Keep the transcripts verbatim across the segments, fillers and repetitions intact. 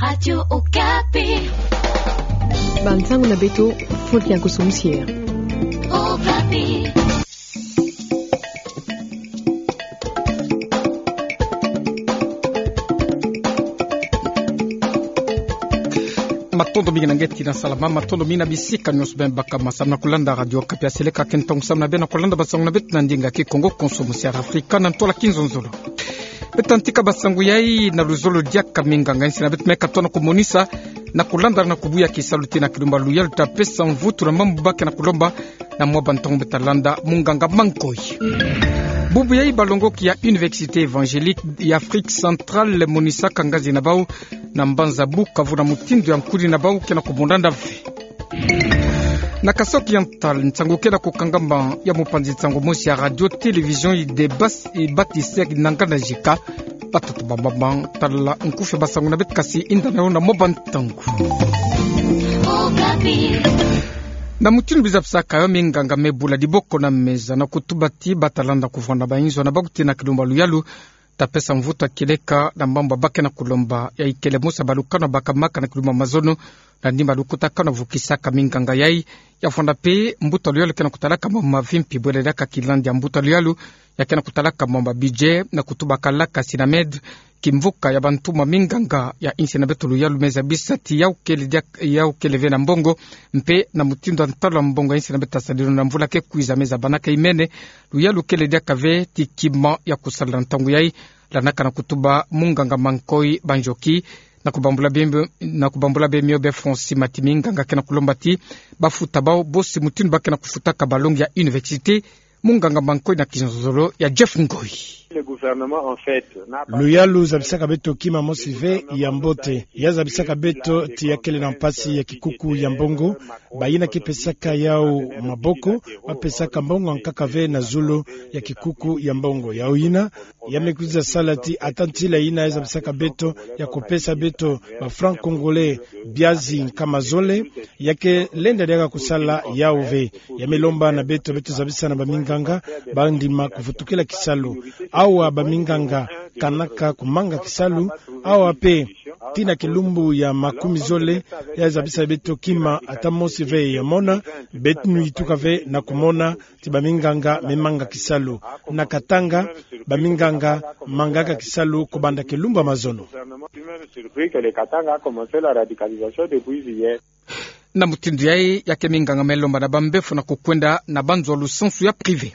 Radio Okapi. Bansango na beto, Faustin Kusumsia. Okapi. Matondo mingi na ngeti na salama, matondo mingi na bisika nyonso bima baka masambu na kulanda Radio Okapi. Seleka ke ntangu samu na bê na kulanda bansango na beto na ndinga Kikongo, Konso, Musiara Afrika na ntwala Kinzonzolo. Beto tantika bansango yai na luzolo diaka minganga insi na beto me katona kumonisa na kulandala na kubuya kisalu tii na kilumba luyalu ta pesa mvutu na mambu ba ke na kulomba na mwa bantangu beto talanda munganga Mankoi. Bubu yai balongoki ya Université Évangélique ya Afrique Centrale monisaka ngazi na bau na mbanza Bukavu na mutindu ya nkudi na bau ke na kumonana ve. Na Kasai Oriental, nsangu ke na kukangama ya mopanzi nsangu mosi ya Radio Télévision Idée Bas-, Ibatisek Nanga na Jika, batata bambamba tala nkufi ya bansangu na beto kasi inda na yo na mwa bantangu. Na mutindu biza bisaka yo, minganga me bula diboko na meza na kutuba ti batalanda kuvwanda bayinzo na bau tii na kilumba luyalu ta pesa mvutu ya kieleka na mambu ba ke na kulomba. Yai kele mosi ya balukanu baka maka na kilumba mazono, na ndimbu ya lukutakanu vukisaka minganga yai. Ya vwanda pe mbuta luyalu ke na kutalaka mamba mavimpi bwele diaka kilandi ya mbuta luyalu ya ke na kutalaka mamba budget na kutubakalaka Synamed, kimvuka ya bantumwa minganga ya insi na beto luyalu me zabisa ti yau kele diak-, yau kele ve na mbongo, mpe na mutindu ya ntalu ya mbongo ya insi na beto tasadileno na mvula ke kwiza me zabanaka imene, luyalu kele diaka ve ti kima ya kusala na ntangu yai, lanaka na kutuba munganga Mankoi Banjoki, na kubambula bemio, na kubambula bemio be Francis Matimi, nganga ke na kulomba ti bafuta bau bosi mutindu ba ke na kufutaka balongi ya université. Munganga Mankoi na kizololo ya Jeff Ngoi. Le gouvernement, en fait, n'a pas... Luyalu zabisaka beto kima mosi ve ya mbote. Ya zabisaka beto ti ya kele na mpasi ya kikuku ya mbongo. Bayina ke pesaka yau maboko, bapesaka mbongo ankaka ve na zulu ya kikuku ya mbongo. Yau yina, ya me kwiza sala ti ata ntila yina ya zabisaka beto ya kupesa beto ba francs congolais biazi nkama zole, ya ke lenda diaka kusala yau ve. Ya me lomba na beto, beto zabisa na baminganga bandima kuvutukila kisalu. Awa baminganga kanaka kumanga kisalu, awa pe tii na kilumbu ya makumi zole, ya zabisa beto kima ata mosi ve ya mona, beto nuyituka ve na kumona ti baminganga me manga kisalu. Na Katanga, baminganga mangaka kisalu kubanda kilumbu ya mazono. Na mutindu yai, ya ke minganga me lomba na bambefo na kukwenda na banzo ya lusansu ya privé.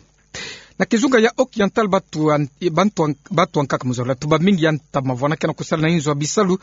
Na kizunga ya Occidental, batu an-, bantu an-, batu ankaka mu zola tuba mingi ya ntama vwanda ke na kusala na inzo ya bisalu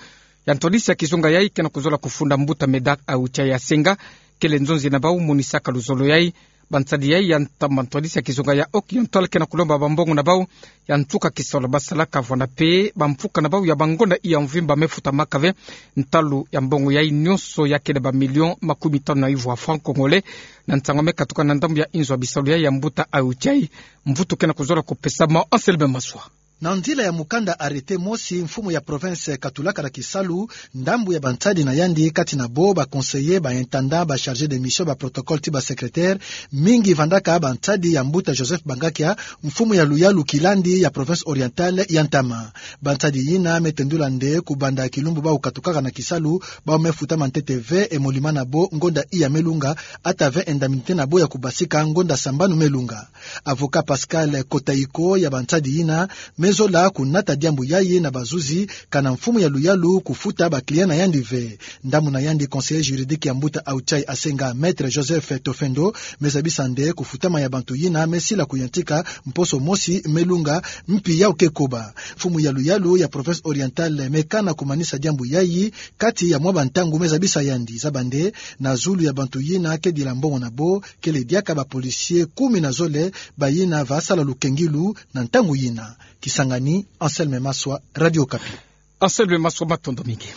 ya ntwadisi ya kizunga yai ke na kuzola kufunda mbuta Medard Aoutia ya Senga, kele nzonzi na bau monisaka luzolo yai. Bansadi yai ya ntama ntwadisi ya kizunga ya Occidental ke na kulomba bambongo na bau ya nsuka kisalu basalaka, vwanda pe bamfuka na bau ya bangonda iya mvimba me futamaka ve. Ntalu ya mbongo yai nyonso ya kele ba millions makumi tanu na ivwa francs congolais. Na nsangu me katuka na ndambu ya inzo ya bisalu yai ya mbuta Aoutia, mvutu ke na kuzola kupesama. Anselme Maswa. Na nzila ya mukanda arrêté mosi, mfumu ya province katulaka na kisalu ndambu ya bansadi na yandi, kati na bo ba conseillers, ba intendants, ba chargés de mission, ba protocoles ti ba secrétaires, mingi vandaka bansadi ya mbuta Joseph Bangakia, mfumu ya luyalu kilandi ya province orientale ya ntama. Bansadi yina me tendula nde kubanda kilumbu bau katukaka na kisalu, bau me futama ntete ve emoluma na bo ngonda iya me lunga, ata ve indemnité na bo ya kubasika ngonda sambanu me lunga. Avocat Pascal Kotaiko ya bansadi yina me zola kunata diambu yai na bazuzi, kana mfumu ya luyalu kufuta ba clients na yandi ve. Ndambu na yandi, conseiller juridique ya mbuta Aoutia Asenga, Maître Joseph Tofendo, me zabisa nde kufutama ya bantu yina me sila kuyantika mposo mosi me lunga, mpi yau ke koba. Mfumu ya luyalu ya province orientale me kana kumanisa diambu yai kati ya mwa bantangu, me zabisa yandi. Zaba nde, na zulu ya bantu yina kedila mbongo na bo, kele diaka ba policiers kumi na zole, bayina va sala lukengilu na ntangu yina. Kisangani, Anselme Maswa, Radio Okapi. Anselme Maswa, matondo mingi.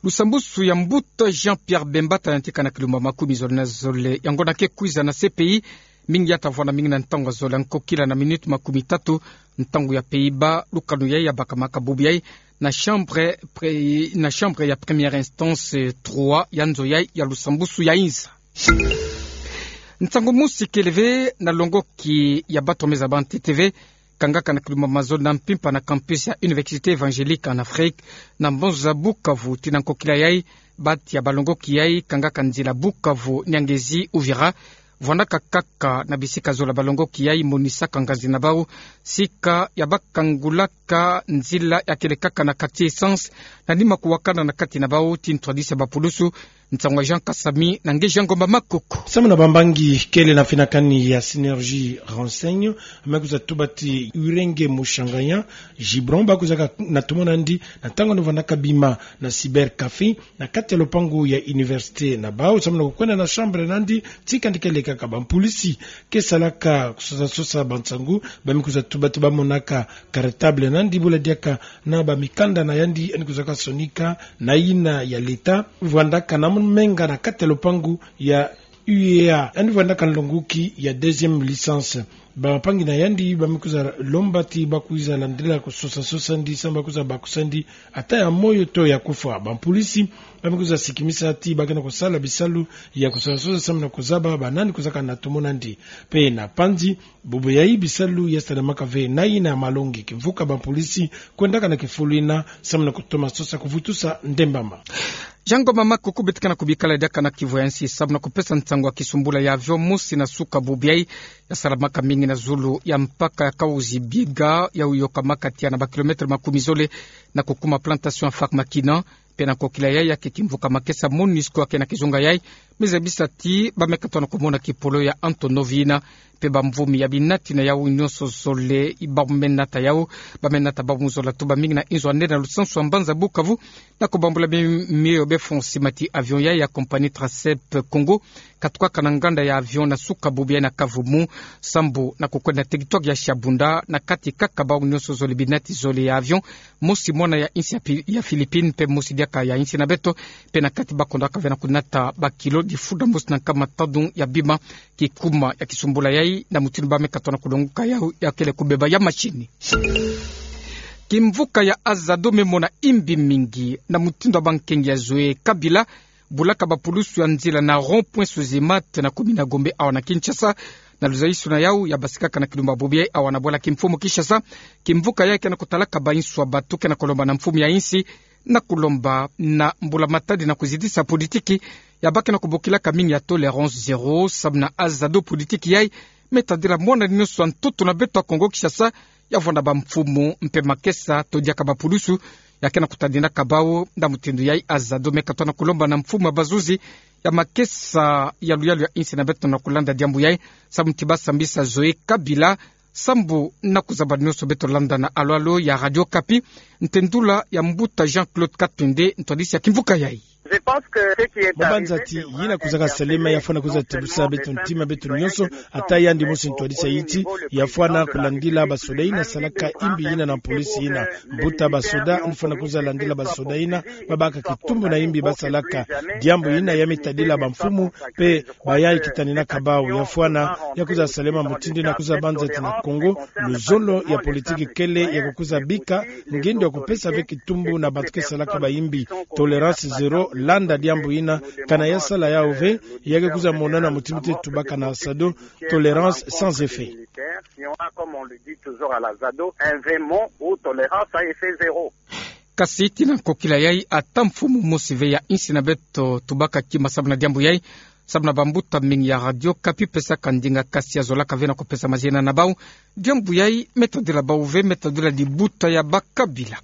Lusambusu ya mbuta Jean-Pierre Bemba ta yantika na kilumbu makumi zole na zole ya ngonda ke kwiza na C P I. Mingi ya ta vwanda mingi na ntangu ya zole ya nkokila na minutes makumi tatu, ntangu ya Pays-Bas, lukanu yai ya bakamaka bubu yai na chambre pre-, na chambre ya première instance, eh, trois ya nzo yai ya lusambusu ya inza. Nsangu mosi kele ve na longoki ya bato me zaba ntete ve kangaka na kilumbu mazono na mpimpa na campus ya Université Évangélique en Afrique, na mbanza Bukavu. Tina nkokila yai, bati ya balongoki yai kangaka nzila Bukavu, Nyangezi, Uvira, vwandaka kaka na bisika zola. Balongoki yai monisaka nganzi na bau sika ya bakangulaka nzila ya kele kaka na quartier Essence, na nima kuwakana na kati na bau ti ntwadisi ya bapulusu. Nsangu ya Jean Kasami na nge Jean Ngomba Makoko. Samu na bambangi kele na finakani ya Synergie Renseigne, me kwiza tuba ti Urenge Mushanganya Gibron, ba kwizaka na tomo nandi na ntangu ni vwandaka bima na cybercafé na kati ya lopangu ya université na bau, samu na kukwenda na chambre nandi, tika ndi kele kaka bampulisi ke salaka kusosa-sosa bansangu, ba me kwiza tuba ti ba monaka cartable nandi, bula diaka na bamikanda na yandi, yandi kwizaka sonika na yina ya l'État, vwandaka na menga na kati ya lopangu ya U E A, yandi vwandaka nlonguki ya deuxième licence. Bampangi na yandi ba me kwiza lomba ti ba kwiza landila kusosa-sosa ndi, samu ba kwiza bakusa ndi ata ya moyo to ya kufwa. Bampulisi ba me kwiza sikimisa ti ba ke na kusala bisalu ya kusosa-sosa samu na kuzaba banani kwizaka na tomo nandi. Pe na panzi bubu yai bisalu ya salamaka ve na yina ya malongi. Kimvuka bampulisi kwendaka na kifulu yina samu na kutoma sosa kuvutusa ndembama. Jean Ngomba Makoko, beto ke na kubikala diaka na kivu ya nsi samu na kupesa nsangu ya kisumbula ya avion mosi na suka bubu yai, ya salamaka mingi na zulu ya mpaka ya Kahuzi-Biega, ya uyokamaka tiya na bakilomètre makumi zole na kukuma plantation ya Farmakina. Pe na nkokila yai, ya ke kimvuka makesa MONUSCO ya ke na kizunga yai, me zabisa ti ba me katono kumona kipolo ya Antonov yina, pe bamvumi ya binati na yau nyonso zole, ba me nata yau, ba me nata bau mu zola tuba mingi na inzo ya nene na lusansu ya mbanza Bukavu, na kubambula mi-, mio be fond sima ti avion yai ya compagnie Tracep Congo, katukaka na nganda ya avion na suka bubu yai na Kavumu, sambu na kukwenda na territoire ya Shabunda, na kati kaka bau nyonso zole, binati zole ya avion, mosi mwana ya insi ya Pi-, ya Philippines, pe mosi diaka ya insi na beto, pe na kati ba kondaka ve na kunata bakilo difunda mosi na nkama tanu ya bima. Kikuma ya kisumbula yai na mutindu ba me katono kulonguka yau, ya kele kubeba ya machine. Kimvuka ya Azado me mona imbi mingi na mutindu ya bankengi ya Zoé Kabila, bulaka bapulusu ya nzila na rond-point Sozemate na commune ya Gombe awa na Kinshasa, na luzayisuna yau ya basikaka na kilumbu bubu yai awa na bwala kimfumu Kinshasa. Kimvuka yai ke na kutalaka bainsu ya bato, ke na kulomba na mfumu ya insi na kulomba na mbula-matadi na kuzitisa politiki ya ba ke na kubokilaka mingi ya tolérance zéro, samu na Azado, politiki yai me tadila mwana nyonso ya ntoto na beto ya Kongo Kinshasa, ya vwanda bamfumu mpe makesa to diaka bapulusu, ya ke na kutadinaka bau. Na mutindu yai, Azado me katono kulomba na mfumu ya bazuzi ya makesa ya luyalu ya insi na beto na kulanda diambu yai, samu ti ba sambisa Zoé Kabila, sambu na kuzaba nyonso beto landa na alo-alo ya Radio Okapi, ntendula ya mbuta Jean-Claude Katende, ntwadisi ya kimvuka yai. Ba banza ti yina kwizaka salema, ya fwana kwiza tibusa beto ntima, beto nyonso, ata yandi mosi ntwadisi ya yiti, ya fwana kulandila basoda yina salaka imbi yina na polisi yina. Mbuta basoda, ni fwana kwiza landila basoda yina, ba baka kitumbu na imbi ba salaka. Diambu yina ya me tadila bamfumu, pe ba yai kitaninaka bau. Ya fwana, ya kwiza salema mutindu yina kwiza banza ti na Kongo, luzolo ya politiki kele ya kukwiza bika ngindo ya kupesa ve kitumbu na bato ke salaka baimbi. Tolérance zéro, landa diambu yina, kana ya sala yau ve, ya ke kwiza monana mutindu ti tubaka na Azado, tolérance sans effet. Kasi ti na nkokila yai, ata mfumu mosi ve ya insi na beto tubaka kima samu na diambu yai, samu na bambuta mingi ya Radio Okapi pesaka ndinga, kasi ya zolaka ve na kupesa mazina na bau. Diambu yai me tadila bau ve, me tadila dibuta ya bakabila.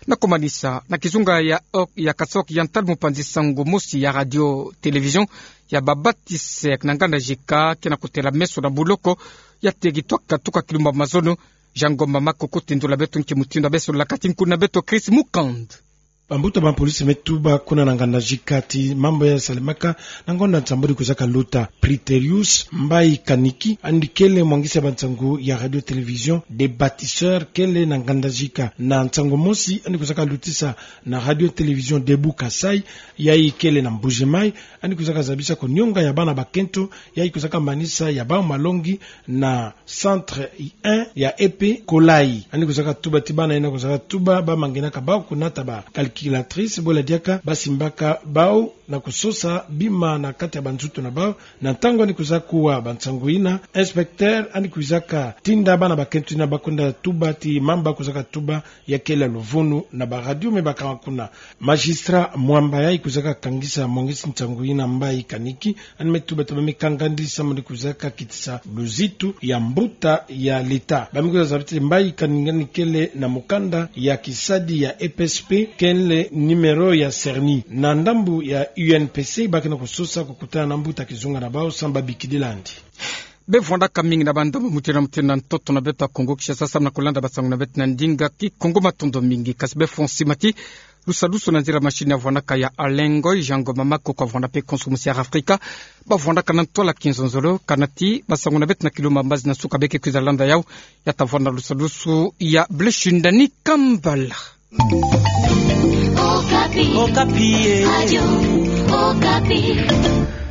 Na kumanisa, na kizunga ya ok-, ya Kasaï Oriental, mupanzi sango mosi ya radio télévision ya babatise na nganda jika ke na kutela meso na buloko ya territoire katuka kilumbu mazono. Jean Ngomba Makoko, tendula beto nki mutindu ya beso laka ti nkuna beto Chris Mukand. Bambuta bampolisi me tuba kuna na nganda jika ti mambu ya salemaka na ngonda nsambwadi kwizaka luta. Preterius Mbayi Kaniki, yandi kele mwangisi ya bansangu ya radio télévision Des Bâtisseurs, kele na nganda jika. Na nsangu mosi yandi kwizaka lutisa na radio télévision Debout Kasaï, yai kele na Mbuji-Mayi, yandi kwizaka zabisa ko nionga ya bana bakento, yai kwizaka manisa ya bau malongi na centre un ya E P Kolayi. Yandi kwizaka tuba ti bana yina kwizaka tuba, ba manginaka bau kunata ba calcul calculatrice, bo la diaka ba simbaka bau na kusosa bima na kati ya banzutu na bau. Na ntangu yandi kwizaka kuwa bansangu yina, inspecteur yandi kwizaka tinda bana bakento yina ba kwenda tuba ti mamba kwizaka tuba ya kele luvunu na ba radio me bakanga kuna. Magistrat Mwamba yai kwizaka kangisa mongisi nsangu yina mbayi kaniki, yandi me tuba ti ba mi kangandi samu yandi kwizaka kitisa luzitu ya mbuta ya leta. Ba mi kwiza zaba ti mbayi kaningani kele na mukanda ya kisadi ya E P S P, kele numéro ya cerni. Na ndambu ya U N P C, ba ke na kusosa kukutana na mbuta kizunga na bau samu ba bikidila yandi. Bevwandaka mingi na bandambu mutindu na mutindu na ntoto na beto ya Kongo Kinshasa, samu na kulanda basangu na beto na ndinga Kikongo. Matondo mingi. Kasi befo nsimati lusadusu na nzila machine ya vwandaka ya Alain Ngoy, Jean Ngoma Makoko avwanda mpe konso musi ya Afrika. Bavwandaka na ntwala kinzonzolo, kana ti basangu na beto na kilo mbazi na suka beke kwiza landa yau, ya ta vwanda lusadusu ya Blaise Shindani Kambala. Okapi. Okapi, eh. Radio Okapi.